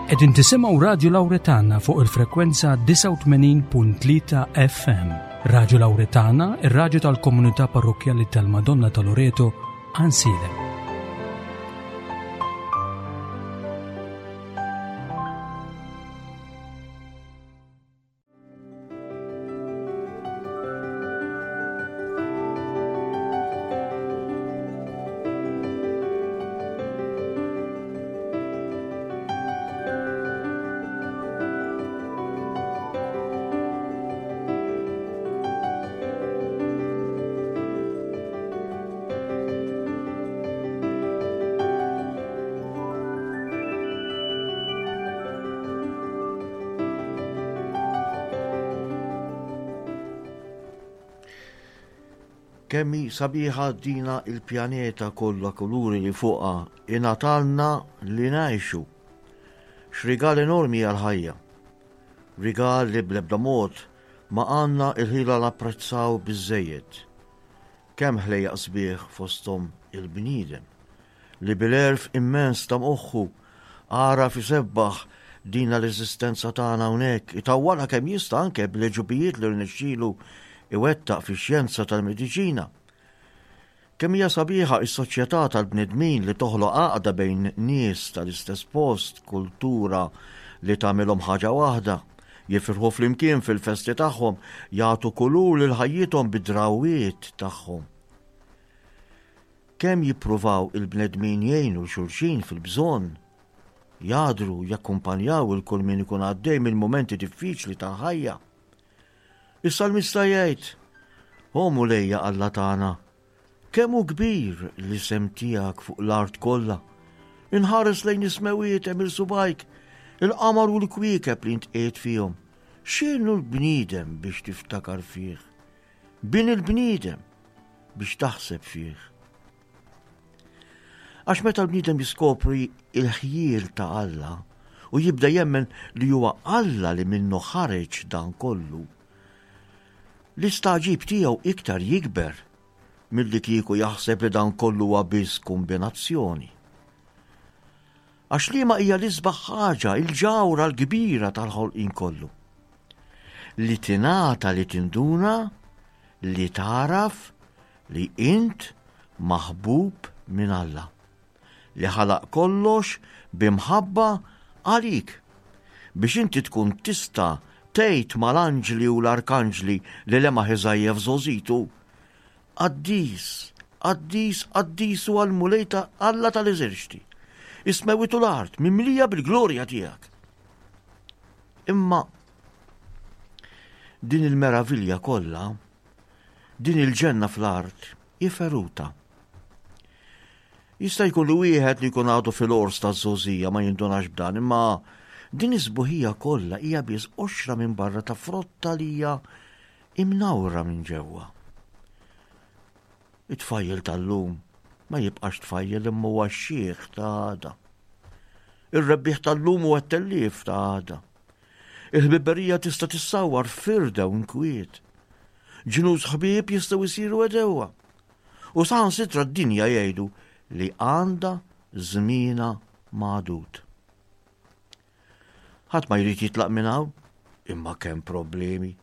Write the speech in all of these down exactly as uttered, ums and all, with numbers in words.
Qegħdin tisimgħu Radju Lawretana fuq il-frekwenza disgħa u tmenin punt tlieta F M. Radju Lawretana, ir-radju tal-Komunità Parrokkjali tal-Madonna ta' Loreto, Għajnsielem. Kemm hi sabiħa dina il-pjaneta kollha kuluri li fuqha ingħatalna li ngħixu. X'rigal enormi għal-ħajja. Rigal li bl-ebda mod ma għandna il-ħila napprezzaw biżejjed. Kemm ħlejjaq sbieħ, fosthom il-bniedem, li bil-għerf immens ta' moħħu għaraf isebbaħ dina l-eżistenza tagħna hawnhekk, itawwalha kemm jista' anke bl-għeġubijiet li rnexxielu iwettaq fix-xjenza tal-mediċina. Kemm hija sabiħa is-soċjetà tal-bnedmin li toħloq għaqda bejn nies tal-istess post, kultura li tagħmilhom ħaġa waħda, jifirħu flimkien fil-festi tagħhom, jagħtu kulur lil ħajjithom bid-drawwiet tagħhom. Kemm jippruvaw il-bnedmin jgħinu xulxin fil-bżonn, jadru, jakkumpanjaw lil kull min ikun għaddej minn momenti diffiċli ta' ħajja. Is-salmista jgħid: "O Mulejja Alla tagħna, kemm hu kbir l-isem tiegħek fuq l-art kollha. Inħares lejn is-smewiet għemil subgħajk, il-qamar u l-kwiekeb li int qiegħed fihom. X'inhu l-bniedem biex tiftakar fih? Bin il-bniedem biex taħseb fih." Għax meta l-bniedem jiskopri il-ħjiel ta' Alla u jibda jemmen li huwa Alla li minnu ħareġ dan kollu, l-istagħġib tiegħu iktar jikber milli kieku jaħseb li dan kollu huwa biss kombinazzjoni. Għax liema hija l-isbaħ ħaġa, il-ġawra l-kbira tal-ħolqien kollu? Li tingħata li tinduna, li taraf li int maħbub minn Alla, li ħalaq kollox b'imħabba għalik, biex inti tkun tista' tgħid mal-anġli u l-arkanġli li lemaħ Iżaija f'żgħożitu: "Qaddis, qaddis, qaddis huwa l-Mulej ta' Alla tal-eżerċti. Is-smewwiet u l-art mimlija bil-glorja tiegħek." Imma din il-meravilja kollha, din il-ġenna fl-art, hi feruta. Jista' jkun li wieħed li jkun għadu fil-ors taż-żgħożija ma jindunax b'dan, imma din is-sbuħija kollha hija biss qoxra minn barra ta' frotta li hija imnawra minn ġewwa. It-tfajjel tal-lum ma jibqax tfajjel, imma huwa x-xiħ ta' għada. Ir-rebbieħ tal-lum huwa t-tellief ta' għada. Il-ħbiberija tista' tissawar firda u nkwiet. Ġnus ħbieb jistgħu jsiru għedewwa. U saħansitra d-dinja jgħidu li għandha żmienha magħdud. Ħadd ma jrid jitlaq minn hawn, imma kemm problemi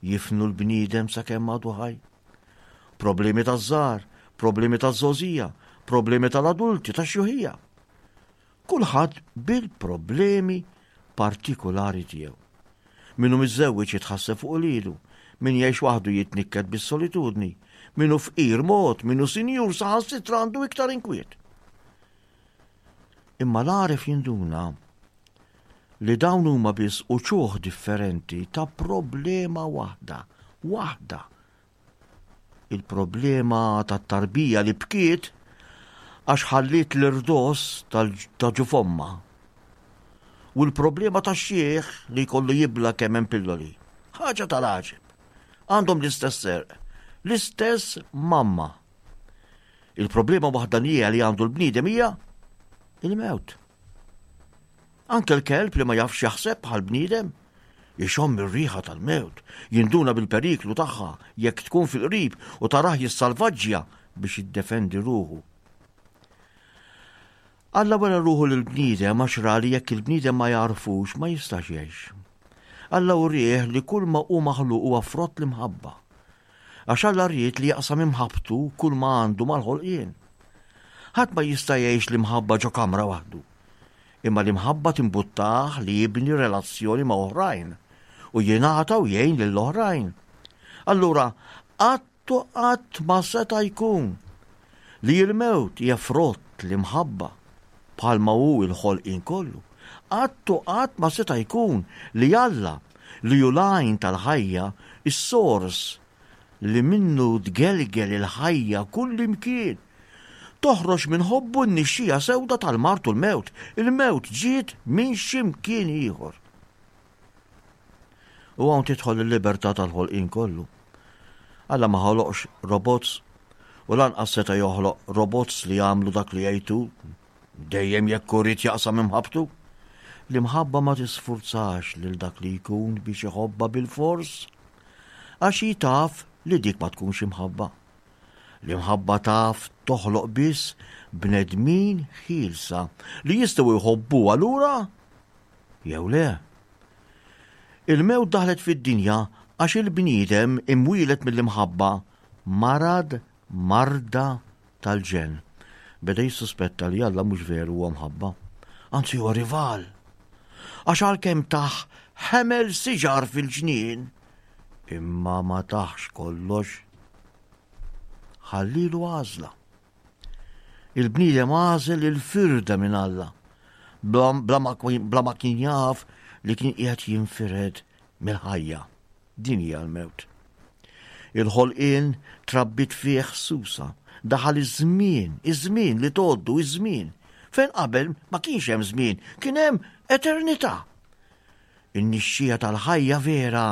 jifnu l-bniedem sakemm għadu ħaj. Problemi taż-żgħar, problemi taż-żgħożija, problemi tal-adulti, tax-xjuħija. Kulħadd bil-problemi partikolari tiegħu. Min hu miżżewweġ jitħasseb fuq uliedu, min jgħix waħdu jitnikket bis-solitudni, min hu fqir mod, min hu sinjur saħansitra għandu iktar inkwiet. Imma l-għaref jinduna li dawn huma biss uċuħ differenti ta' problema waħda, waħda. Il-problema ta' tarbija li bkiet għax ħalliet l-irdos ta' ġuf ommha. U l-problema ta' xiħ li jkollu jibla' kemm hemm pilloli. Ħaġa tal-għaġeb. Għandhom l-istess għerq, l-istess mamma. Il-problema waħdanija li għandu l-bniedem hija il-mewt. Anke l-kelb li ma jafx jaħseb bħal bniedem, ixomm ir-riħa tal-mewt, jinduna bil-periklu tagħha jekk tkun fil-qrib u tarah jissalvaġġja biex jiddefendi ruħu. Alla wera ruħu lill-bniedem għax ra li jekk il-bniedem ma jagħrfux ma jistax jgħix. Alla wrieh li kull ma hu maħluq huwa frott l-imħabba. Għax Alla ried li jaqsam imħabbtu kull ma għandu mal-ħolqien. Ħadd ma jista' jgħix l-imħabba ġo kamra waħdu. Imma l-imħabba timbuttah li jibni relazzjoni ma' oħrajn u jingħata u jgħin lill-oħrajn. Allura, qatt u qatt ma seta' jkun li l-mewt hija frott l-imħabba bħalma hu l-ħolqien kollu. Qatt u qatt ma seta' jkun li Alla li hu l-għajn tal-ħajja, is-sors li minnu tgelgel il-ħajja kullimkien, toħroġ minn ħobbu n-nixxija sewda tal-mard u l-mewt. Il-mewt ġiet minn x'imkien ieħor. U hawn tidħol il-libertà tal-ħolqien kollu. Alla ma ħoloqx robots u lanqas seta' joħloq robots li jagħmlu dak li jgħidu dejjem jekk irid jaqsam imħabbtu. L-imħabba ma tisfurzax lil dak li jkun biex iħobbha bil-fors, għax hi taf li dik ma tkunx imħabba. L-imħabba taf toħloq biss bnedmin ħielsa li jistgħu jħobbuha lura jew le. Il-mewt daħlet fid-dinja għax il-bniedem imwielet mill-imħabba marad marda tal-ġenn. Beda jissuspetta li Alla mhux veru huwa mħabba, anzi huwa rival. Għax għalkemm tah ħemel siġar fil-ġnien, imma ma taħx kollox. Ħallilu għażla. Il-bniedem għażel il-firda minn Alla, bla, bla ma kien, bla ma kien jaf li kien qiegħed jinfired mill-ħajja. Din hija l-mewt. Il-ħolqien trabbit fih susa. Daħal iż-żmien, iż-żmien li tgħoddu iż-żmien. Fejn qabel ma kienx hemm żmien, kien hemm eternità. In-nixxija tal-ħajja vera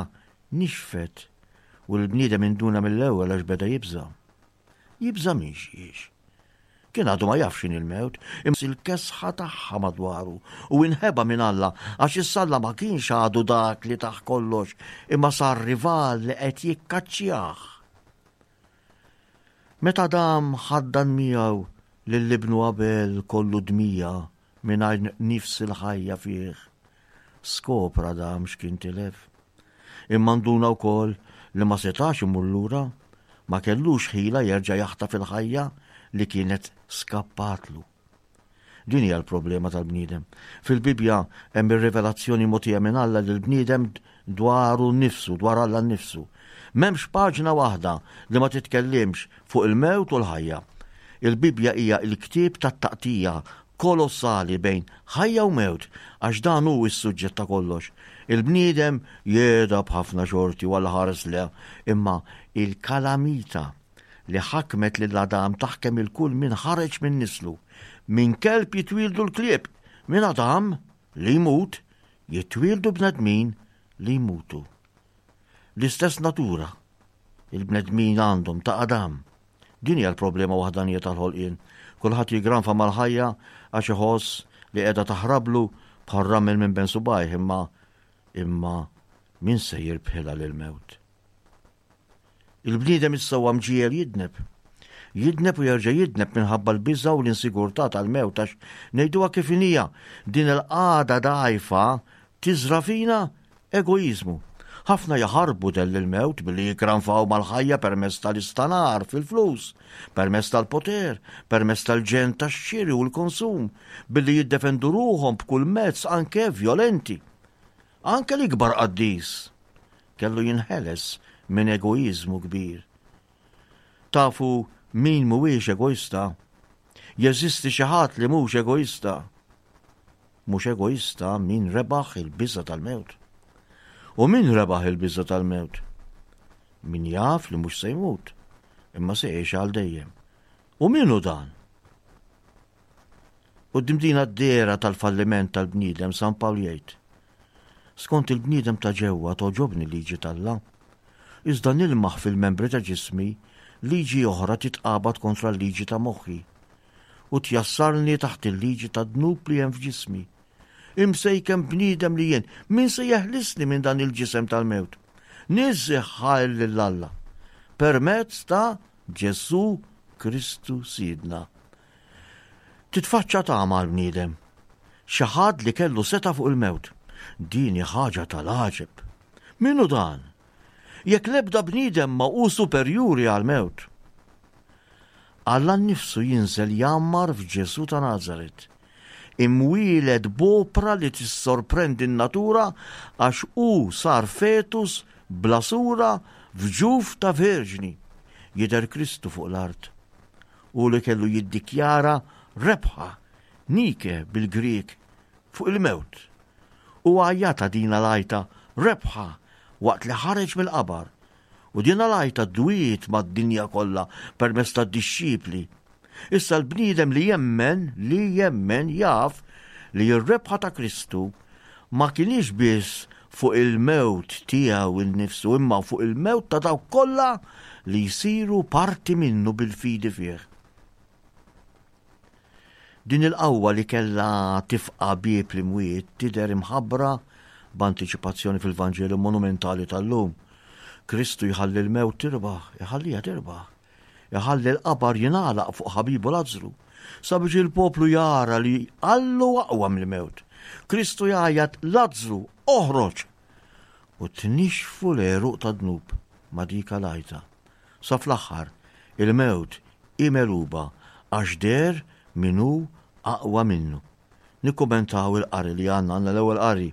nixfet u l-bniedem induna mill-ewwel għax beda jibża'. Jibża' minn xiex. Kien għadu ma jafx x'inhi l-mewt, imma il-kesħa tagħha madwaru u inħeba minn Alla għax issa Alla ma kienx għadu dak li taħ kollox, imma sar rival li qed jikkaċċjah. Meta Adam ħaddan miegħu lil ibnu Abel kollu dmija mingħajr nifs il-ħajja fih, skopra Adam x'kien tilef. Imma nduna wkoll li ma setax imur lura, ma kellux ħila jerġa' jaħtaf il-ħajja li kienet skappatlu. Din hija l-problema tal-bniedem. Fil-Bibbja hemm ir-rivelazzjoni mogħtija minn Alla lill-bniedem dwaru nnifsu, dwar Alla nnifsu. M'hemmx paġna waħda li ma titkellimx fuq il-mewt u l-ħajja. Il-Bibbja hija l-ktieb tat-taqtija kolossali bejn ħajja u mewt, għax dan hu s-suġġett ta' kollox. Il-bniedem jeda b'ħafna xorti u Alla ħares le, imma il-kalamita li ħakmet lil Adam taħkem il-kull min ħareġ minn nislu. Minn kelb jitwieldu l-klieb, minn Adam li jmut jitwieldu bnedmin li jmutu. L-istess natura il-bnedmin għandhom ta' Adam. Din hija l-problema waħdanija tal-ħolqien. Kulħadd jigranfa mal-ħajja għax iħoss li qiegħda taħrablu bħal ramel minn ben subajh, imma, imma min se jirbħilha lill-mewt? Il-bniedem issa huwa mġiegħel jidneb. Jidneb u jerġa' jidneb minħabba l-biża' u l-insigurtà tal-mewt, għax ngħiduha kif inhija, din il-qagħda dgħajfa tiżra' fina egoiżmu. Ħafna jaħarbu dell il-mewt billi jikranfaw mal-ħajja permezz tal-istanar fil-flus, permezz tal-poter, permezz tal-ġen tax-xiri u l-konsum, billi jiddefendu ruħhom b'kull mezz anke violenti. Anke l-ikbar qaddis kellu jinħeles minn egoiżmu kbir. Tafu min mhuwiex egoista? Jeżisti xi ħadd li mhux egoista? Mhux egoista min rebaħ il-biża' tal-mewt. U min rebaħ il-biża' tal-mewt? Min jaf li mhux se jmut, imma se jgħix għal dejjem. U min hu dan? Quddiem din d-dehra tal-falliment tal-bniedem, San Pawl jgħid, skont il-bniedem ta' ġewwa togħġobni liġi t'Alla, iżda nilmaħ fil-membri ta' ġismi liġi oħra titqabad kontra l-liġi ta' moħħi u tjassarni taħt il-liġi ta' dnub li hemm f'ġismi. Imsejkem bniedem li jien, min se jeħlisni minn dan il-ġisem tal-mewt? Niżżi ħajr lil Alla permezz ta' Ġesù Kristu Sidna. Titfaċċa tama għall-bniedem. Xi ħadd li kellu setgħa fuq il-mewt. Din hi ħaġa tal-għaġeb. Min hu dan? Jekk l-ebda bniedem ma hu superjuri għall-mewt. Alla nnifsu jinżel jgħammar f'Ġesù ta' Nazaret. Imwieled b'opra li tissorprendi n-natura għax hu sar fetus bla sura f'ġuf ta' verġni. Jidher Kristu fuq l-art. Hu li kellu jiddikjara rebħa, Nike bil-Grieg, fuq il-mewt. U għajjatha din l-għajta rebħa waqt li ħareġ mill-qabar. U din l-għajta dwiet mad-dinja kollha permezz tad-dixxipli. Issa l-bniedem li jemmen, li jemmen jaf li r-rebħa ta' Kristu ma kienx biss fuq il-mewt tiegħu innifsu imma fuq il-mewt ta' dawk kollha li jsiru parti minnu bil-fidi fih. Din il-qawwa li kellha tifqa' bieb l-imwiet tidher imħabbra b'antiċipazzjoni fil-Vanġelu monumentali tal-lum. Kristu jħalli l-mewt tirbaħ, iħalliha tirbaħ. Iħalli l-qabar jingħalaq fuq ħabibu Lazzru, sabiex il-poplu jara li Alla aqwa mill-mewt. Kristu jgħajjat Lazzru, oħroġ! U tnixfu l-għeruq tad-dnub ma' dik l-għajta. Sa fl-aħħar, il-mewt hi megħluba għax deher min hu aqwa minnu. Nikkumentaw il-qari li għandna, għandna l-ewwel qari.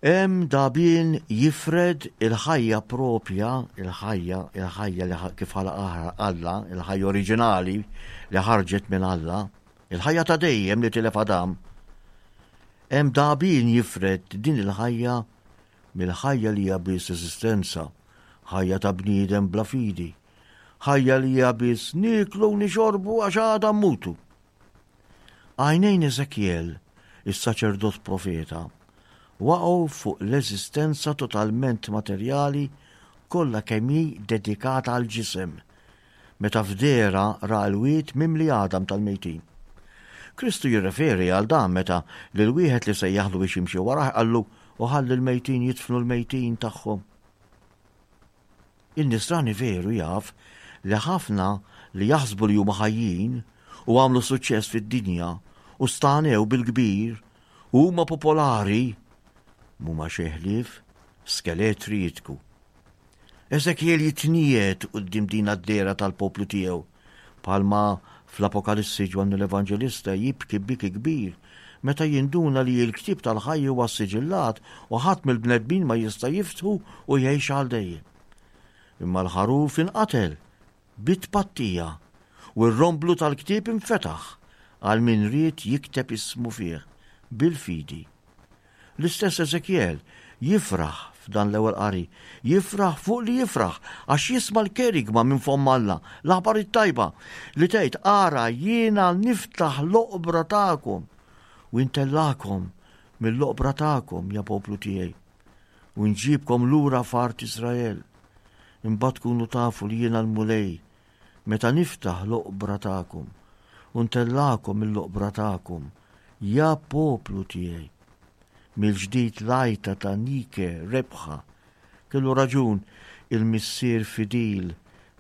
Hemm dagħbien jifred il-ħajja propja, il-ħajja, il-ħajja li kif ħalaqha Alla, il-ħajja oriġinali li ħarġet minn Alla, il-ħajja ta' dejjem li tilef Adam. Hemm dagħbien jifred din il-ħajja mill-ħajja li hija biss eżistenza, ħajja ta' bniedem bla fidi, ħajja li hija biss nieklu u nixorbu għax għada mmutu. Għajnejn Ezekiel, is-saċerdot profeta, waqgħu fuq l-eżistenza totalment materjali kollha kemm hi dedikata għal ġisem, meta f'dehra ra l-wied mimli għadam tal-mejtin. Kristu jirreferi għal dan meta lil wieħed li sejjaħlu biex jimxi warah qallu u ħalli l-mejtin jidfnu l-mejtin tagħhom. In-nisrani veru jaf li ħafna li jaħsbu li huma ħajjin u għamlu suċċess fid-dinja u stanew bil-kbir u huma popolari mhuma xejn ħlief skeletri jitku. Ezekiel jitniet quddiem din għad-dehra tal-poplu tiegħu, bħalma fl-Apokalissi Ġwanni l-Evanġelista jibki biki kbir meta jinduna li l-ktieb tal-ħajja huwa siġillat u ħadd mill-bnedmin ma jista' jiftħu u jgħix għal dejjem. Imma l-ħaruf inqatel bit-tpattija u r-romblu tal-ktieb infetaħ għal min ried jikteb ismu fih bil-fidi. L-istess Ezekiel jifraħ f'dan l-ewwel qari, jifraħ fuq li jifraħ għax jisma' l-kerigma minn fomm Alla, l-aħbar it-tajba li tgħid ara jiena niftaħ l-oqbra tagħkom u intellakom mill-oqbra tagħkom ja poplu tiegħi u nġibkom lura f'art Israel. Imbagħad tkunu tafu li jiena l-Mulej meta niftaħ l-oqbra tagħkom u ntellakom mill-oqbra tagħkom ja poplu tiegħi. Mill-ġdid l-għajta ta' Nike rebħa. Kellu raġun il-missier fidil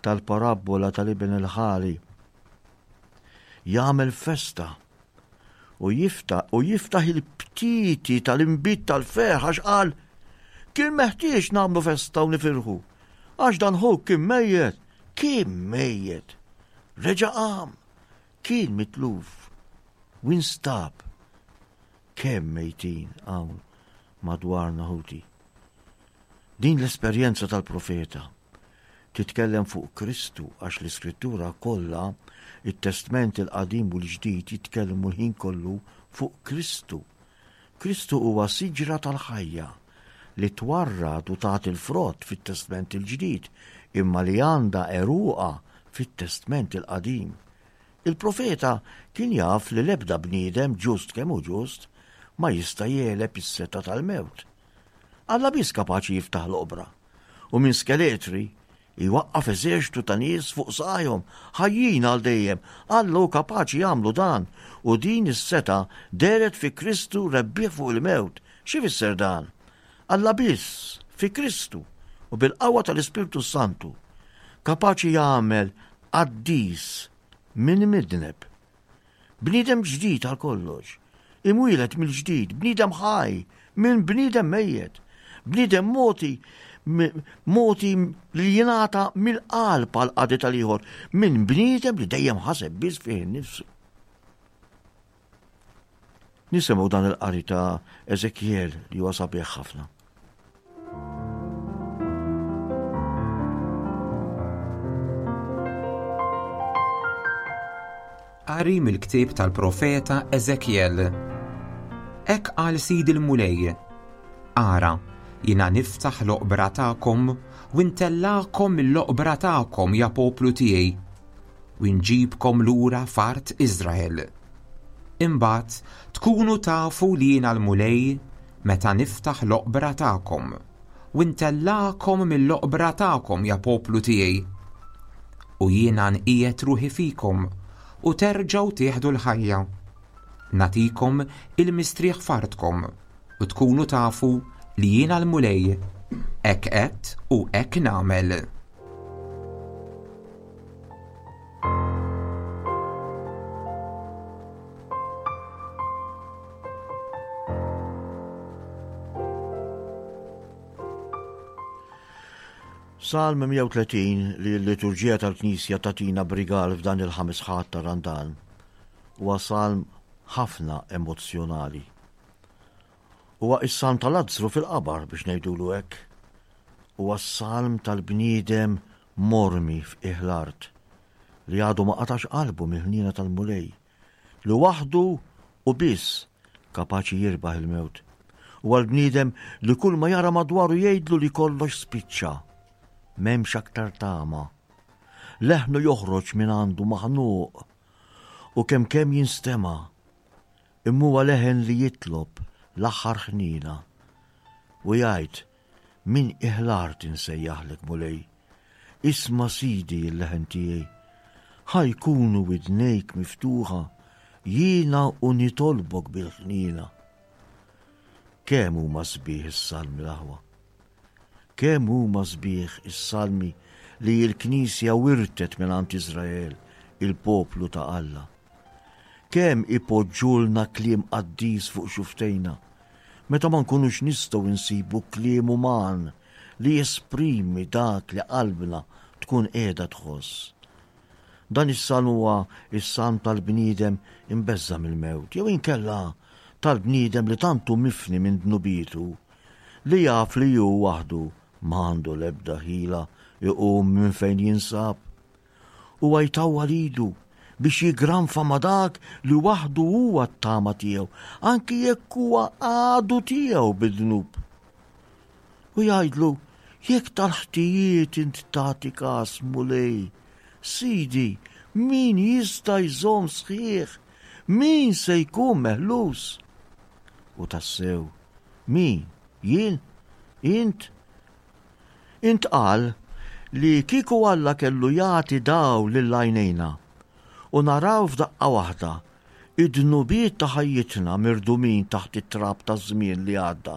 tal-parabbola tal-iben il-ħali. Jagħmel festa u jiftaħ u jiftaħ il-btieti tal-inbid tal-ferħ għax qal kien meħtieġ nagħmlu festa u nifirħu. Għax dan ħuk kien mejjet, kien mejjet. Reġa' qam, kien mitluf, u instab. Kemm mejtin hawn madwarna ħuti. Din l-esperjenza tal-profeta titkellem fuq Kristu għax l-Iskrittura kollha, it-Testment il-Qadim u l-Ġdid jitkellmu l-ħin kollu fuq Kristu. Kristu huwa siġra tal-ħajja li twarrad u tagħti l-frott fit-Testment il-Ġdid imma li għandha għeruqha fit-Testment il-Qadim. Il-profeta kien jaf li l-ebda bniedem ġust kemm hu ġust ma jista' jegħleb is-setgħa tal-mewt. Alla biss kapaċi jiftaħ l-oqbra u minn skeletri jwaqqaf eżerċtu ta' nies fuq saqajhom ħajjin għal dejjem. Alla hu kapaċi jagħmlu dan u din is-setgħa dehret fi Kristu rebbieħ fuq il-mewt. Xi fisser dan? Alla biss fi Kristu u bil-qawwa tal-Ispirtu Santu kapaċi jagħmel qaddis min midneb Bniedem ġdid għal kollox, imwieled mill-ġdid, bniedem ħaj minn bniedem mejjet, bniedem mogħti mogħti li jingħata mill-qalb għal qadi tal-ieħor, minn bniedem li dejjem ħaseb biss fih innifsu. Nisimgħu dan il-qari ta' Ezekiel li huwa sabiħ ħafna. Qari mill-ktieb tal-profeta Ezekiel. Hekk qal Sid il-Mulej: Ara, jiena niftaħ l-oqbra tagħkom u ntellagħkom mill-oqbra tagħkom, ja poplu tiegħi, u nġibkom lura f'art Iżrael. Imbagħad tkunu tafu li jiena l-Mulej meta niftaħ l-oqbra tagħkom u ntellagħkom mill-oqbra tagħkom, ja poplu tiegħi. U jiena nqiegħed ruħi fikom u terġgħu tieħdu l-ħajja. Nagħtikom il-mistrieħ f'artkom u tkunu tafu li jiena l-Mulej, hekk qed u hekk nagħmel. Salm mija u tletin li l-liturġija tal-Knisja tatina brigal f'dan il-ħames Ħadd ta' Randan huwa salm ħafna emozzjonali. Huwa is-salm tal-Lazzru fil-qabar biex ngħidulu hekk. Huwa s-salm tal-bniedem mormi f'qiegħ l-art li għadu ma qatax qalbu mill-ħniena tal-Mulej, li waħdu u biss kapaċi jirbaħ il-mewt. Huwa l-bniedem li kull ma jara madwaru jgħidlu li kollox spiċċa, m'hemmx aktar tama. Leħnu joħroġ minn għandu maħnuq u kemm kemm jinstema', imma huwa leħen li jitlob l-aħħar ħnina u jgħid: min iħlart insejjaħlek Mulej, isma' Sidi l-leħen tiegħi, ħa jkunu widnejk miftuħa, jiena u nitolbok bil-ħnina. Kemm huma sbieħ is-salmi l-aħwa, kemm huma sbieħ is-salmi li l-Knisja wirtet minn għand Iżrael, il-poplu ta' Alla. Kemm ipoġġulna kliem qaddis fuq xuftejna, meta ma nkunux nistgħu nsibu kliem uman li jesprimi dak li qalbna tkun qiegħda tħoss. Dan is-salm huwa is-salm tal-bniedem imbeżża' mill-mewt, jew inkella tal-bniedem li tantu mifni minn dnubietu, li jaf li hu waħdu ma għandu l-ebda ħila iqum minn fejn jinsab. Huwa jtawwal idu biex jigranfa ma' dak li waħdu huwa t-tama tiegħu, anki jekk huwa għadu tiegħu bid-dnub. U jgħidlu: jekk tal-ħtijiet int tagħti każ Mulej, Sidi, min jista' jżomm sħiħ? Min se jkun meħlus? U tassew, min? Jien? Int? Intqal li kieku Alla kellu jagħti dawl lil għajnejna u naraw f'daqqa waħda id-dnubiet ta' ħajjitna mirdumin taħt it-trab taż-żmien li għadda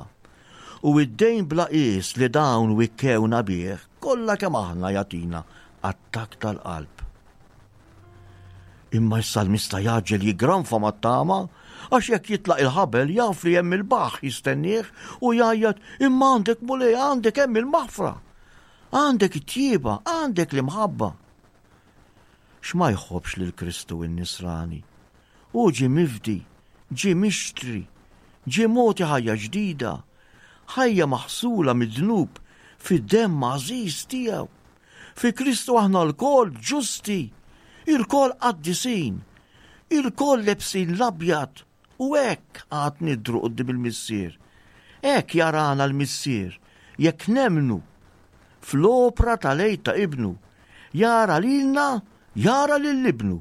u id-dejn bla qies li dawn wikkewna bih, kollha kemm aħna jagħtina attakk tal-qalb. Imma s-salmista jaġġel jigranfa mat-tama, għax jekk jitlaq il-ħabel jaf li hemm il-baħħ jistennieh u jgħajjat: imma għandek Mulej, għandek hemm il-maħfra, għandek it-tjieba, għandek l-imħabba. X'ma jħobbx lil Kristu n-Nisrani? Hu ġie mifdi, ġie mixtri, ġie mogħti ħajja ġdida, ħajja maħsula mid-dnub fid-demm għażiż tiegħu. Fi Kristu aħna lkoll ġusti, ilkoll qaddisin, ilkoll lebsin l-abjad, u hekk għad nidru quddiem il-Missier. Hekk jarana l-Missier, jekk nemmnu fl-opra tal-Għid ta' Ibnu, jara lilna, jara lil Ibnu.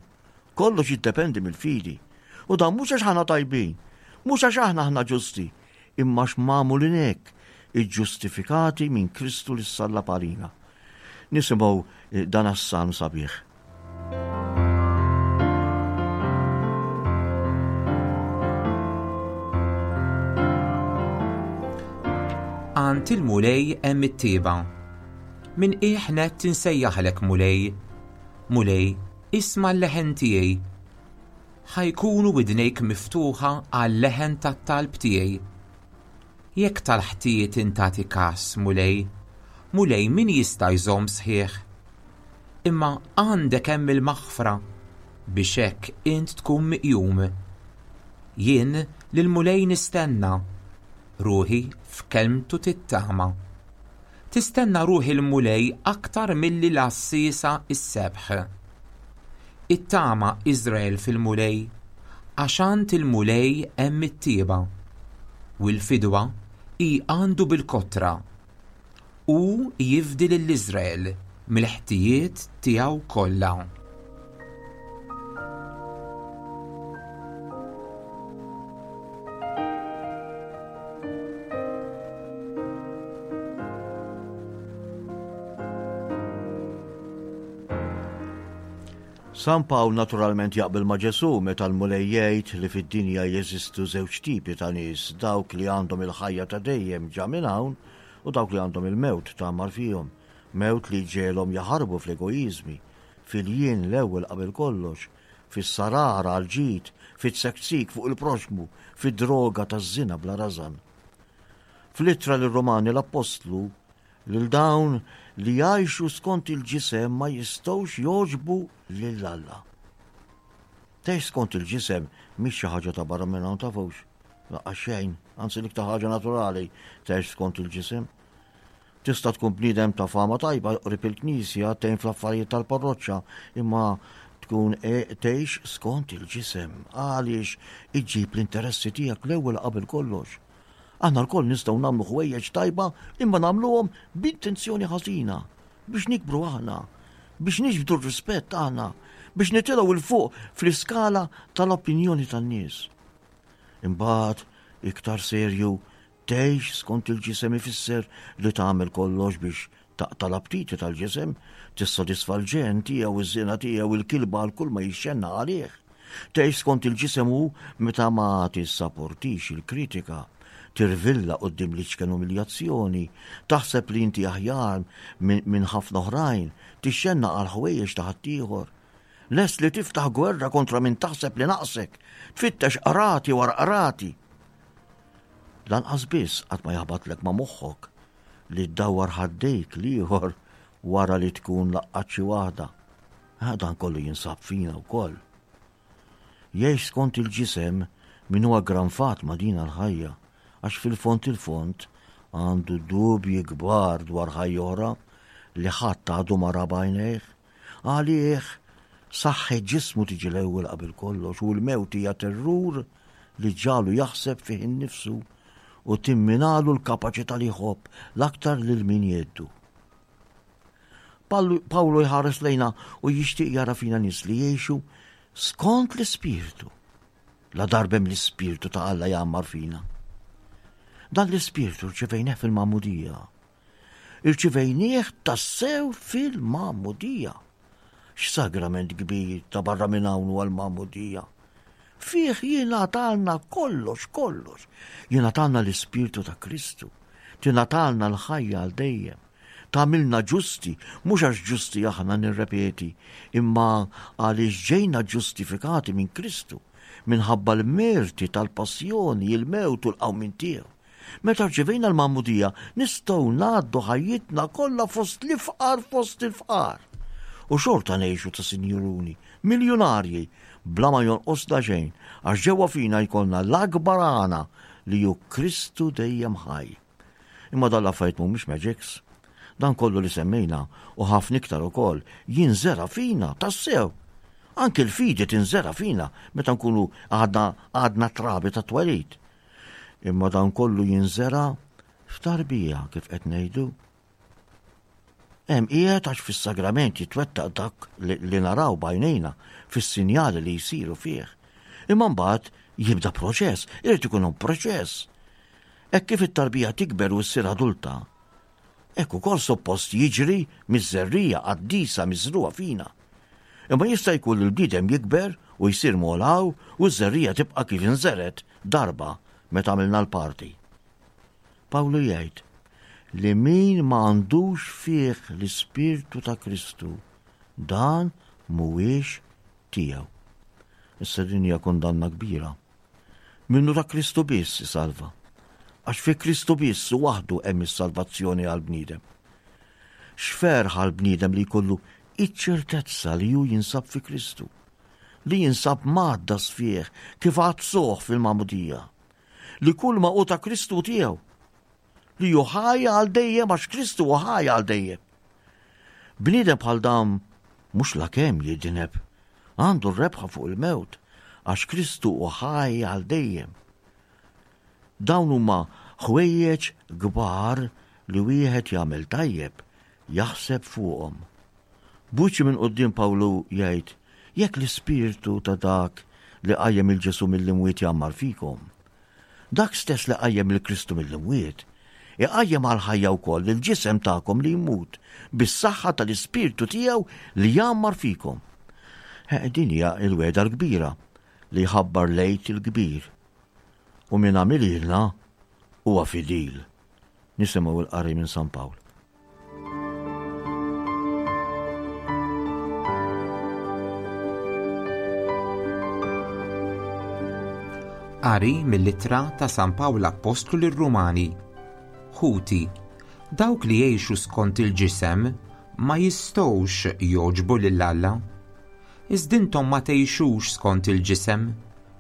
Kollox jiddependi mill-fidi. U dan mhux għax aħna tajbin, mhux għax aħna aħna ġusti, imma għax magħmulin hekk, iġġustifikati minn Kristu li sallab għalina. Nisimgħu dan as-salm sabiħ. Għand il-Mulej hemm it-tieba. Min qiegħ nett insejjaħlek Mulej. Mulej, isma' l-leħen tiegħi. Ħa jkunu widnejk miftuħa għal-leħen tat-talb tiegħi. Jekk tal-ħtijiet intati kas, Mulej, Mulej min jista' jżomm sħiħ? Imma għandek hemm il-maħfra biex hekk int tkun miqjum. Jien lill-Mulej nistenna, ruħi f'kelmtu tittama. Tistenna ruħi l-Mulej aktar milli l-għassiesa is-sebħ. Ittama Iżrael fil-Mulej, għax għand il-Mulej hemm it-tieba, u l-fidwa hi għandu bil-kotra. U jifdi lil Iżrael mill-ħtijiet tiegħu kollha. San Pawl naturalment jaqbel ma' Ġesù meta l-Mulej jgħid li fid-dinja jeżistu żewġ tipi ta' nies, dawk li għandhom il-ħajja ta' dejjem ġa minn hawn u dawk li għandhom il-mewt tgħammar fihom, mewt li ġegħelhom jaħarbu fl-egoiżmi, fil-jien l-ewwel qabel kollox, fis-sarara għall-ġid, fit-tsektsik fuq il-proxxmu, fid-droga taż-żina bla rażan. Fl-ittra lir-Rumani l-Appostlu lil dawn li jgħixu skont il-ġisem ma jistgħux jogħġbu lil Alla. Tgħix skont il-ġisem mhix xi ħaġa ta' barra minn hawn tafux. Laqgħa xejn, anzi l-iktar ħaġa naturali tgħix skont il-ġisem. Tista' tkun bniedem ta' fama tajba qrib il-knisja, tgħin fl-affarijiet tal-parroċċa, imma tkun tgħix skont il-ġisem għaliex iġġib l-interessi tiegħek l-ewwel qabel kollox. Aħna lkoll nistgħu nagħmlu ħwejjeġ tajba imma nagħmluhom b'intenzjoni ħażina biex nikbru aħna, biex niġbdu r-rispett aħna, biex nitilgħu 'l fuq fl-iskala tal-opinjoni tan-nies. Imbagħad iktar serju tgħix skont il-ġisem ifisser li tagħmel kollox biex taqta' l-aptiti tal-ġisem, tissodisfa l-ġen tiegħu, iż-żina tiegħu, il-kilba għal kull ma jixxenna għalih. Tgħix skont il-ġisem hu meta ma tissaportix il-kritika, tirvilla quddiem l-iċken umiljazzjoni, taħseb li inti aħjar minn ħafna oħrajn, tixxenna għal ħwejjeġ ta' ħaddieħor. Lest li tiftaħ gwerra kontra min taħseb li naqsek, tfittex qrati wara qrati. Lanqas biss qatt ma jaħbatlek ma' moħħok li ddawwar ħaddejk l-ieħor wara li tkun laqqat xi waħda. Dan kollu jinsab fina wkoll. Jgħix skont il-ġisem min huwa aggranfat ma' din l-ħajja, għax fil-fond il-fond għandu dubji kbar dwar ħajja oħra li ħadd għadu ma ra b'għajnejh. Għalih saħħet ġismu tiġi l-ewwel qabel kollox u l-mewt hija terrur li ġalu jaħseb fih innifsu u timminalu l-kapaċità li jħobb l-aktar lil min jeddu. Pawlu jħares lejna u jixtieq jara fina nies li jgħixu skont l-Ispirtu. La darbem l-Ispirtu ta' Alla jgħammar fina. Dan l-Ispirtu rċevejnieh fil-Magħmudija. Irċevejnieh tassew fil-Magħmudija. X'sagrament kbir ta' barra minn hawn huwa l-Magħmudija. Fih jingħatalna kollox, kollox. Jingħatalna l-Ispirtu ta' Kristu. Tingħatalna l-ħajja għal dejjem. Tagħmilna ġusti, mhux għax ġusti aħna nirrepeti, imma għaliex ġejna ġustifikati minn Kristu, minħabba l-merti tal-passjoni, il-mewt u l-qawmien tiegħu. Meta rċevejna l-Magħmudija, nistgħu ngħaddu ħajjitna kollha fost l-ifqar fost il-fqar. U xorta ngħixu ta' sinjuruni, miljunarji, bla ma jonqosna xejn, għax ġewwa fina jkollna l-akbar għana li hu Kristu dejjem ħaj. Imma dan l-affarijiet mhumiex magics. Dan kollu li semmejna u ħafna iktar ukoll jinżera fina tassew. Anke l-fidi tinżera fina meta nkunu għadna għadna trabi ta' twelid. Imma dan kollu jinżera f'tarbija kif qed ngħidu. Hemm qiegħed għax fis-sagrament jitwettaq dak li naraw b'għajnejna fis-sinjali li jsiru fih. Imma mbagħad jibda proċess, irid ikun hemm proċess. Hekk kif it-tarbija tikber u ssir adulta, hekk ukoll suppost jiġri miż-żerrija qaddisa miżrugħa fina. Imma jista' jkun li l-bniedem jikber u jsir molaw u ż-żerrija tibqa' kif inżeret darba meta għamilna l-parti. Pawlu jgħid li min ma għandux fih l-Ispirtu ta' Kristu, dan mhuwiex tiegħu. Issa din hija kundanna kbira. Minnu ta' Kristu biss isalva. Għax fi Kristu biss u waħdu hemm is-salvazzjoni għall-bniedem. X'ferħ għall-bniedem li jkollu iċ-ċertezza li hu jinsab fi Kristu, li jinsab mgħaddas fih kif għaddsuh fil-magħmudija, li kull ma hu ta' Kristu tiegħu, li hu ħaj għal dejjem għax Kristu hu ħaj għal dejjem. Bniedem bħal dan mhux lakemm jidineb, għandu r-rebħa fuq il-mewt għax Kristu hu ħaj għal dejjem. Dawn huma ħwejjeġ kbar li wieħed jagħmel tajjeb jaħseb fuqhom. Buċi minn quddiem Pawlu jgħid, jekk l-ispirtu ta' dak li qajjem il Ġesu mill-imwiet jgħammar fikom, dak stess li qajjem il-Kristu mill-imwiet, iqajjem għal ħajja wkoll il-ġisem tagħkom li jmut bis-saħħa tal-ispirtu tiegħu li jgħammar fikom. Din hija l-wegħda l-kbira li jħabbar l-Għid il-kbir. U min għamililna huwa fidil. Nisimgħu l-qari minn San Pawl. Qari mill-ittra ta' San Pawl Appostlu lir-Rumani. Ħuti, dawk li jgħixu skont il-ġisem ma jistgħux jogħġbu lil Alla. Iżda intom ma tgħixux skont il-ġisem,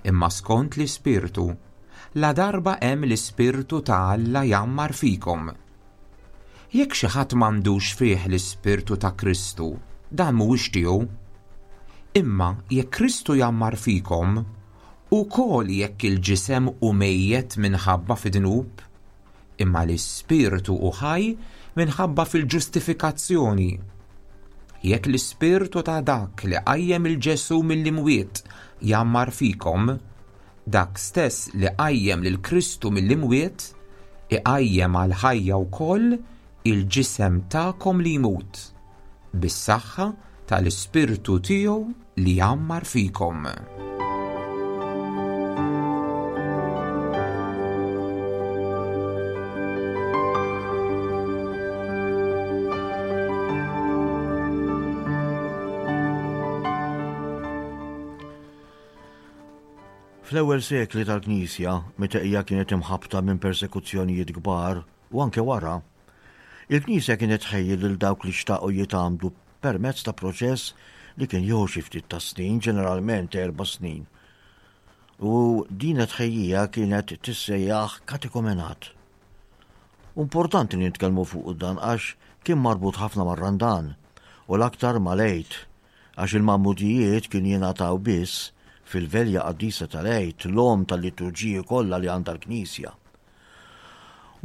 imma skont l-Ispirtu. La darba hemm l-Ispirtu ta' Alla jgħammar fikom. Jekk xi ħadd m'għandux fih l-Ispirtu ta' Kristu, dan mhuwiex tiegħu. Imma jekk Kristu jgħammar fikom, ukoll jekk il-ġisem hu mejjet minħabba fid-dnub, imma l-Ispirtu hu ħaj minħabba fil-ġustifikazzjoni. Jekk l-Ispirtu ta' dak li qajjem il-Ġesu mill-imwiet jgħammar fikom, dak stess li qajjem lil Kristu mill-imwiet iqajjem għal ħajja wkoll il-ġisem tagħkom li jmut, bis-saħħa tal-Ispirtu tiegħu li jgħammar fikom. Fl-ewwel sekli tal-Knisja, meta hija kienet imħabta minn persekuzzjonijiet kbar u anke wara, il-Knisja kienet tħejji lil dawk li xtaqu jitgħammdu permezz ta' proċess li kien jieħu xi ftit ta' snin, ġeneralment erba' snin. U din tħejjija kienet tissejjaħ katekumenat. Importanti li nitkellmu fuq dan għax kien marbut ħafna mar-Randan u l-aktar mal-Għid, għax il-magħmudijiet kien jingħataw biss fil-velja qaddisa tal-Għid, l-om tal-liturġiji kollha li għandha l-Knisja.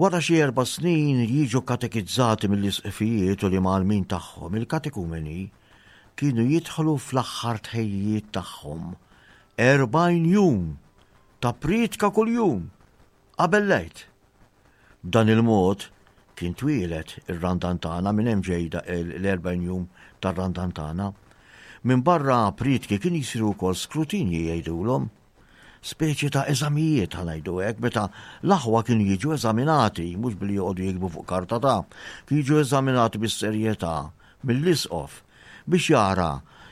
Wara xi erba' snin jiġu katekizzati mill-isqfijiet u l-imgħallmin tagħhom, il-katekumeni kienu jidħlu fl-aħħar tħejjijiet tagħhom erbgħin jum ta' prietka kuljum qabel l-Għid. B'dan il-mod kien twieled ir-Randan tagħna, minn hemm ġejda l-erbgħin jum tar-Randan tagħna. Minn barra prietki kien jisiru wkoll skrutinji jgħidulhom, speċi ta' eżamijiet ħa ngħidu hekk, meta l-aħwa kienu jiġu eżaminati, mhux billi joqogħdu jiktbu fuq karta ta', kienu jiġu eżaminati bis-serjetà mill-isqof biex jara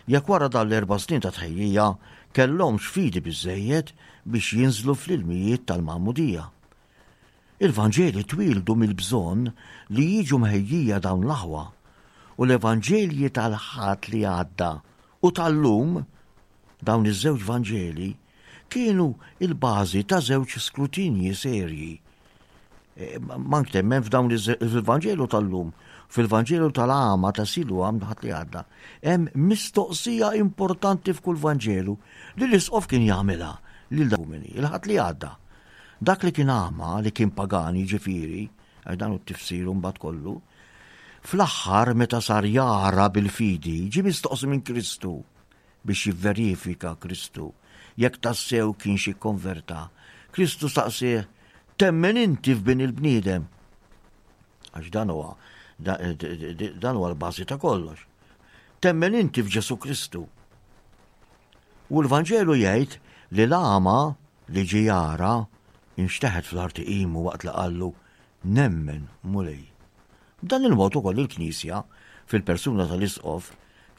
jekk wara dan l-erba' snin ta' tħejjija kellhomx fidi biżżejjed biex jinżlu fl-ilmijiet tal-magħmudija. Il-Vanġeli twildu mill-bżonn li jiġu mħejjija dawn l-aħwa, u l-Evanġelji tal-Ħadd li għadda u tal-lum, dawn iż-żewġ Vanġeli, kienu il-bażi ta' żewġ skrutinji serji. E, ma ntemmen f'dawn il-Vanġelu tal-lum, fil-Vanġelu tal-għama ta' Siluam ħadd li għadda, hemm mistoqsija importanti f'kull Vanġelu li l-isqof kien jagħmilha lil dawmini, il-ħadd li għadda. Dak li kien għama, li kien pagani ġifieri, għax dan hu t-tifsir mbagħad kollu, fl-aħħar meta sar jara bil-fidi, ġie mistoqsi minn Kristu biex jivverifika Kristu jekk tassew kien xi konverta. Kristu staqsih, temmen inti f'bin il-bniedem? Għax dan huwa, dan huwa l-bażi ta' kollox. Temmen inti f'Ġesu Kristu. U l-Vanġelu jgħid li l-għama li ġie jara inxteħet fl-art iqimu waqt li qallu nemmen Mulej. B'dan il-mod ukoll il-Knisja fil-persuna tal-Isqof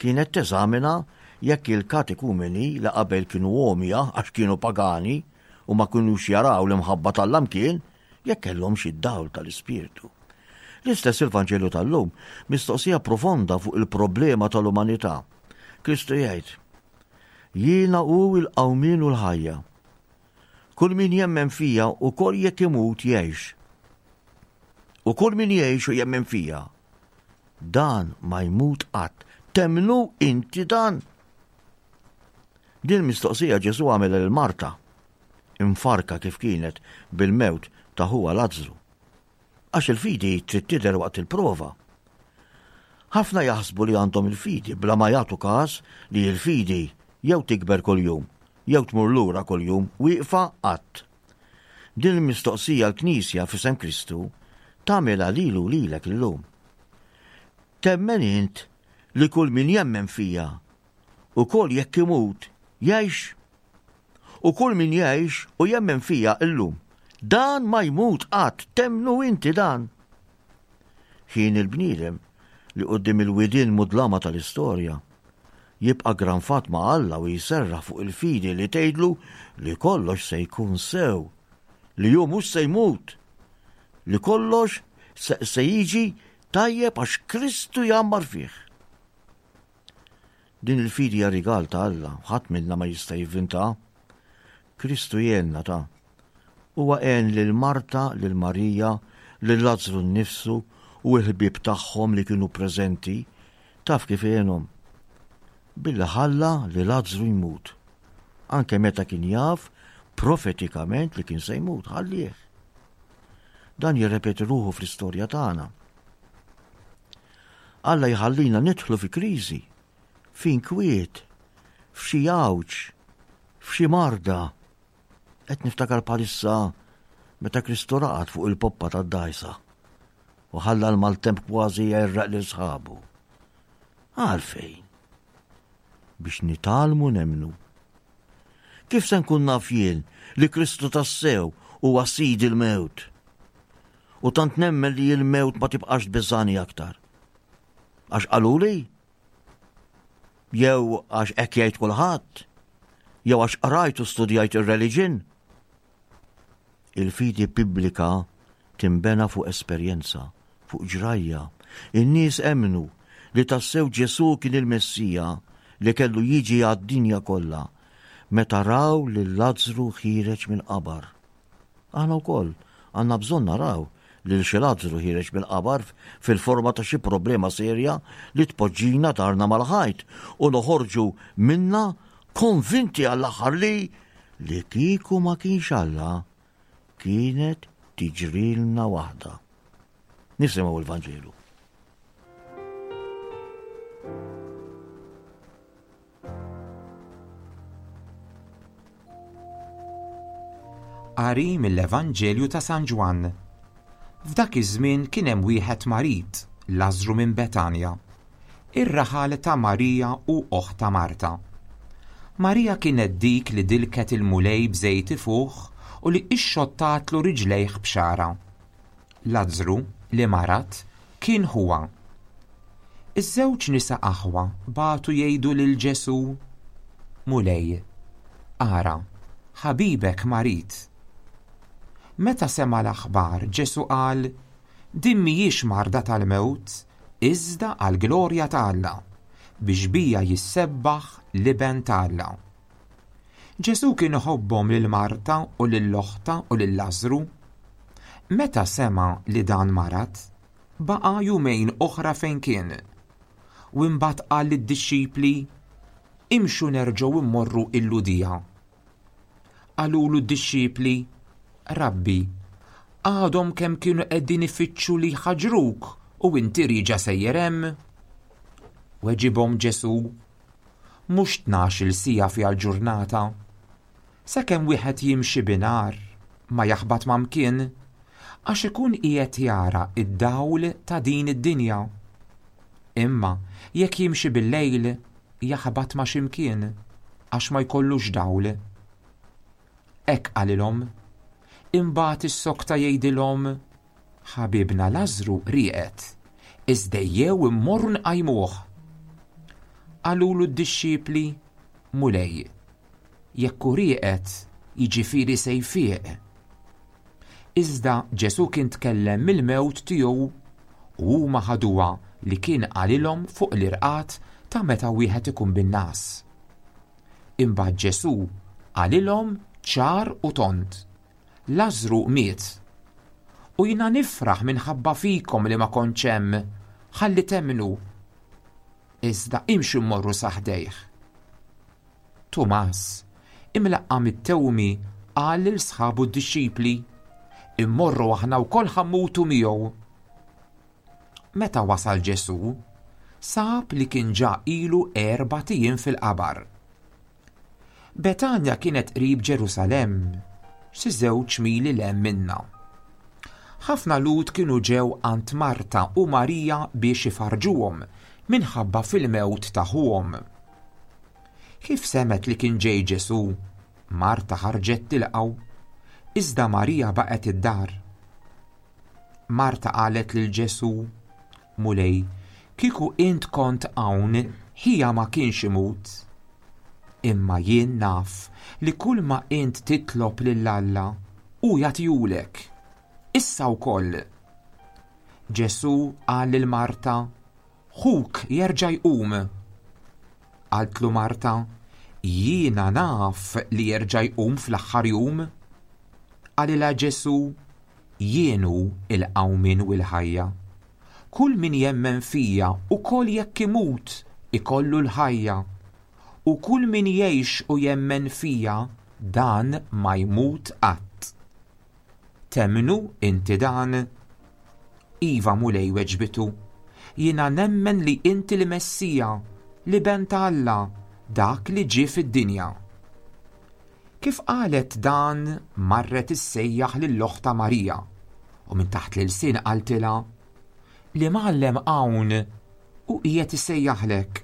kienet teżamina jekk il-katekumeni li qabel kienu għomja għax kienu pagani u ma kinux jaraw l-imħabba t'Alla mkien, jekk kellhomx id-dawl tal-Ispirtu. L-istess il-Vanġelu tal-lum, mistoqsija profonda fuq il-problema tal-umanità. Kristu jgħid, Jiena hu l-qawmien u l-ħajja. Kull min jemmen fija ukoll jekk imut jgħix. U kull min jgħix u jemmen fija, dan ma jmut qatt. Temmnu inti dan? Din mistoqsija Ġesu għamel lil Marta, imfarka kif kienet bil-mewt ta' ħuha Lazzru. Għax il-fidi trid tidher waqt il-prova. Ħafna jaħsbu li għandhom il-fidi bla ma jagħtu każ li l-fidi jew tikber kuljum, jew tmur lura kuljum, wieqfa qatt. Din il-mistoqsija l-Knisja f'isem Kristu tagħmilha lilu lilek illum. Temmen int li kull min jemmen fija ukoll jekk imut jgħix? U kull min jgħix u jemmen fija illum, dan ma jmut qatt, temmnu inti dan? Ħin il-bniedem li quddiem il-widien mudlama tal-istorja jibqa' granfat ma' Alla u jserraħ fuq il-fidi li tgħidlu li kollox se jkun sew, li hu mhux se jmut, li kollox se jiġi tajjeb għax Kristu jgħammar fih. Din il-fidi hija rigal ta' Alla, ħadd minna ma jista' jivvinta. Kristu jgħinna ta' Huwa għen lil Marta, lil Marija, lil Lazzru nnifsu u l-ħbieb tagħhom li kienu preżenti. Taf kif għenhom? Billi ħalla li Lazzru jmut. Anke meta kien jaf profetikament li kien se jmut, ħallih. Dan jirrepeti ruħu fl-istorja tagħna. Alla jħallina nidħlu fi kriżi, f'inkwiet, f'xi għawġ, f'xi marda. Qed niftakar bħalissa meta Kristu raqad fuq il-poppa tad-dgħajsa u ħalla l-maltemp kważi jgħerraq lil sħabu. Għalfejn? Biex nitgħallmu nemmnu. Kif se nkun naf jien li Kristu tassew huwa sid il-mewt? U tant nemmen li l-mewt ma tibqax tbeżżani aktar. Għax qaluli? Jew għax hekk jgħid kulħadd? Jew għax qrajt u studjajt ir-reliġjon? Il-fidi biblika timbena fuq esperjenza, fuq ġrajja. In-nies emmnu li tassew Ġesu kien il-Messija li kellu jiġi għad-dinja kollha meta raw lil Lazzru ħiereġ mill-qabar. Aħna wkoll għandna bżonn naraw lil xi Lazzru ħiereġ mill-qabar fil-forma ta' xi problema serja li tpoġġina darna mal-ħajt u noħorġu minna konvinti għall-aħħar li li kieku ma kienx Alla kienet tiġrilna waħda. Nisimgħu l-Vanġelu. Qari mill-Evanġelju ta' San Ġwann. F'dak iż-żmien kien hemm wieħed marid, Lażru minn Betanja, ir-raħal ta' Marija u oħta Marta. Marija kienet dik li dilket il-Mulej b'żejt ifuħ u li ixxottatlu riġlejh b'xara. Lazzru, li marad, kien ħuha. Iż-żewġ nisa aħwa bagħtu jgħidu lil Ġesu, Mulej, ara, ħabibek marid. Meta sema l-aħbar, Ġesu qal, din mhijiex marda tal-mewt, iżda għall-glorja ta' Alla, biex bija jissebbaħ l-Iben ta' Alla. Ġesu kien iħobbhom lil Marta u lil oħta u lil Lażru. Meta sema li dan marad, baqa' jumejn oħra fejn kien. U imbagħad qal lid-dixxipli, imxu nerġgħu immorru il-Ludija. Qalulu d-dixxipli, Rabbi, għadhom kemm kienu qegħdin ifittxu li jħaġruk u inti rieġa sejjer hemm? Weġibhom Ġesu, mhux tnax-il siegħa fiha l-ġurnata. Sakemm wieħed jimxi binhar, ma jaħbat ma' mkien, għax ikun qiegħed jara id-dawl ta' din id-dinja. Imma jekk jimxi bil-lejl, jaħbat ma' x'imkien, għax ma jkollux dawl. Hekk qalilhom. Imbagħad is-sokta jgħidilhom, ħabibna Lażru rieqed, iżda ejjew immorru nqajmuh. Qalulu d-dixxipli, Mulej, jekk hu rieqed, jiġifieri se jfiq. Iżda Ġesù kien tkellem mill-mewt tiegħu u huma ħaduha li kien qalilhom fuq l-irqad ta' meta wieħed ikun bin-ngħas. Imbagħad Ġesù qalilhom ċar u tond, Lażru miet. U jiena nifraħ minħabba fikom li ma kontx hemm, ħalli temmnu. Iżda imxu mmorru sa ħdejh. Tumas, imlaqqam it-Tewmi, qal lil sħabu d-dixxipli, Immorru aħna wkoll ħa mmutu miegħu. Meta wasal Ġesù, sab li kien ġa ilu erbat ijiem fil-qabar. Betanja kienet qrib Ġerusalemm, xi żewġ mili 'l hemm minnha. Ħafna Lhud kienu ġew għand Marta u Marija biex ifarrġuhom minħabba fil-mewt ta' ħuhom. Kif semgħet li kien ġej Ġesù, Marta ħarġet tilqgħu, iżda Marija baqgħet id-dar. Marta qalet lil Ġesù, Mulej, kieku int kont hawn, ħija ma kienx imut. Imma jien naf li kull ma int titlob lil Alla, hu jagħtihulek. Issa wkoll. Ġesù qal lil Marta, Ħuk jerġa' jqum. Qaltlu Marta, Jiena naf li jerġa' jqum fl-aħħar jum. Qalilha Ġesù, Jien hu l-qawmien u l-ħajja. Kull min jemmen fija ukoll jekk imut ikollu l-ħajja. U kull min jgħix u jemmen fija dan ma jmut qatt. Temmnu inti dan? Iva, Mulej, weġbitu, jiena nemmen li inti l-Messija, l-Iben ta' Alla, dak li ġie fid-dinja. Kif qalet dan, marret issejjaħ lil oħtha Marija, u minn taħt l-ilsien qaltilha, L-Imgħallem hawn u qiegħed isejjaħlek.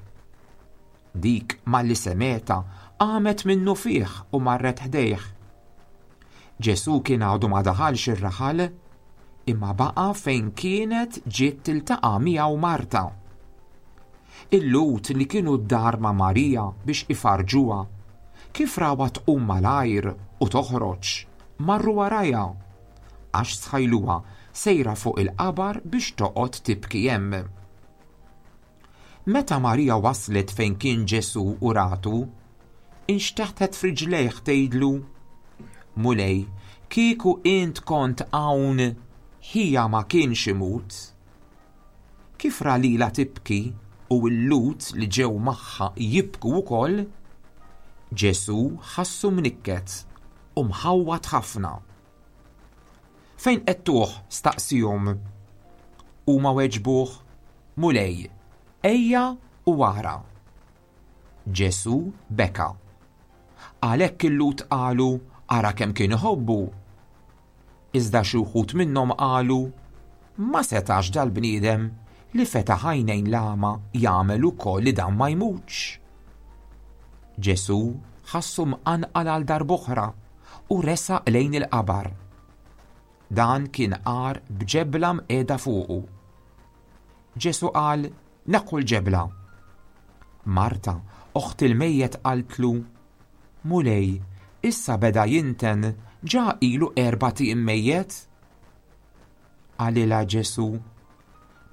Dik malli semgħetha qamet minnufih u marret ħdejh. Ġesù kien għadu ma daħalx ir-raħal, imma baqa' fejn kienet ġiet tiltaqa' miegħu Marta. Il-Lhud li kienu d-dar ma' Marija biex ifarrġuha, kif rawha tqum malajr u toħroġ, marru warajha, għax stħajluha sejra fuq il-qabar biex toqgħod tibki hemm. Meta Marija waslet fejn kien Ġesù u ratu, inxteħtet f'riġlejh tgħidlu, Mulej, kieku int kont hawn, ħija ma kienx imut. Kif ra lilha tibki u l-Lhud li ġew magħha jibku wkoll, Ġesù ħassu mnikket u mħawwad ħafna. Fejn qegħedtuh? Staqsihom. Huma weġbuh, Mulej, ejja u ara. Ġesù beka. Għalhekk il-Lhud qalu, Ara kemm kien iħobbu. Iżda xi wħud minnhom qalu, Ma setax dal-bniedem li fetaħ għajnejn l-għama jagħmel ukoll li dan ma jmutx. Ġesù ħassu mqanqal għal darb'oħra u resaq lejn il-qabar. Dan kien għar b'ġebla mqiegħda fuqu. Ġesù qal, Neħħu l-ġebla. Marta, oħt il-mejjet, qaltlu, Mulej, issa beda jinten, ġa ilu erbat ijiem mejjet. Qalilha Ġesù,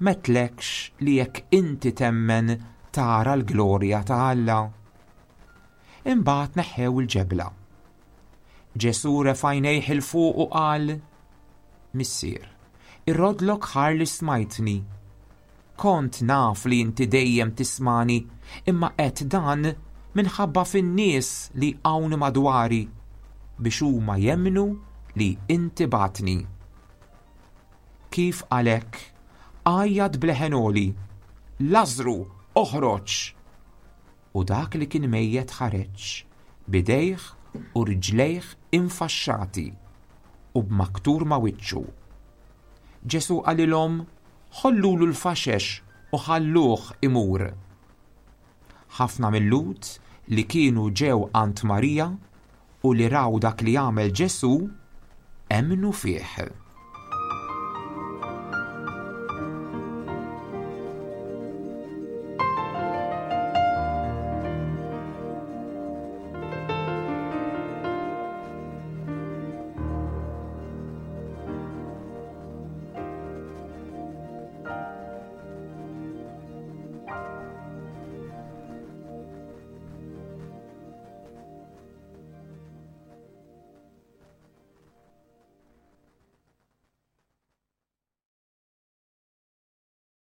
M'għedtlekx li jekk inti temmen tara l-glorja ta' Alla? Imbagħad neħħew il-ġebla. Ġesù refa' għajnejh 'il fuq u qal, Missier, irroddlok ħajr li smajtni. Kont naf li inti dejjem tismani, imma għedt dan minħabba fin-nies li hawn madwari, biex huma jemmnu li inti bgħattni. Kif qal hekk, għajjat b'leħen għoli, Lażru, oħroġ! U dak li kien mejjet ħareġ, b'idejh u riġlejh infaxxati u b'maktur ma' wiċċu. Ġesù qalilhom, Ħollulu l-faxex u ħalluh imur. Ħafna mil-Lhud li kienu ġew għand Marija u li raw dak li għamel Ġesù, emmnu fih.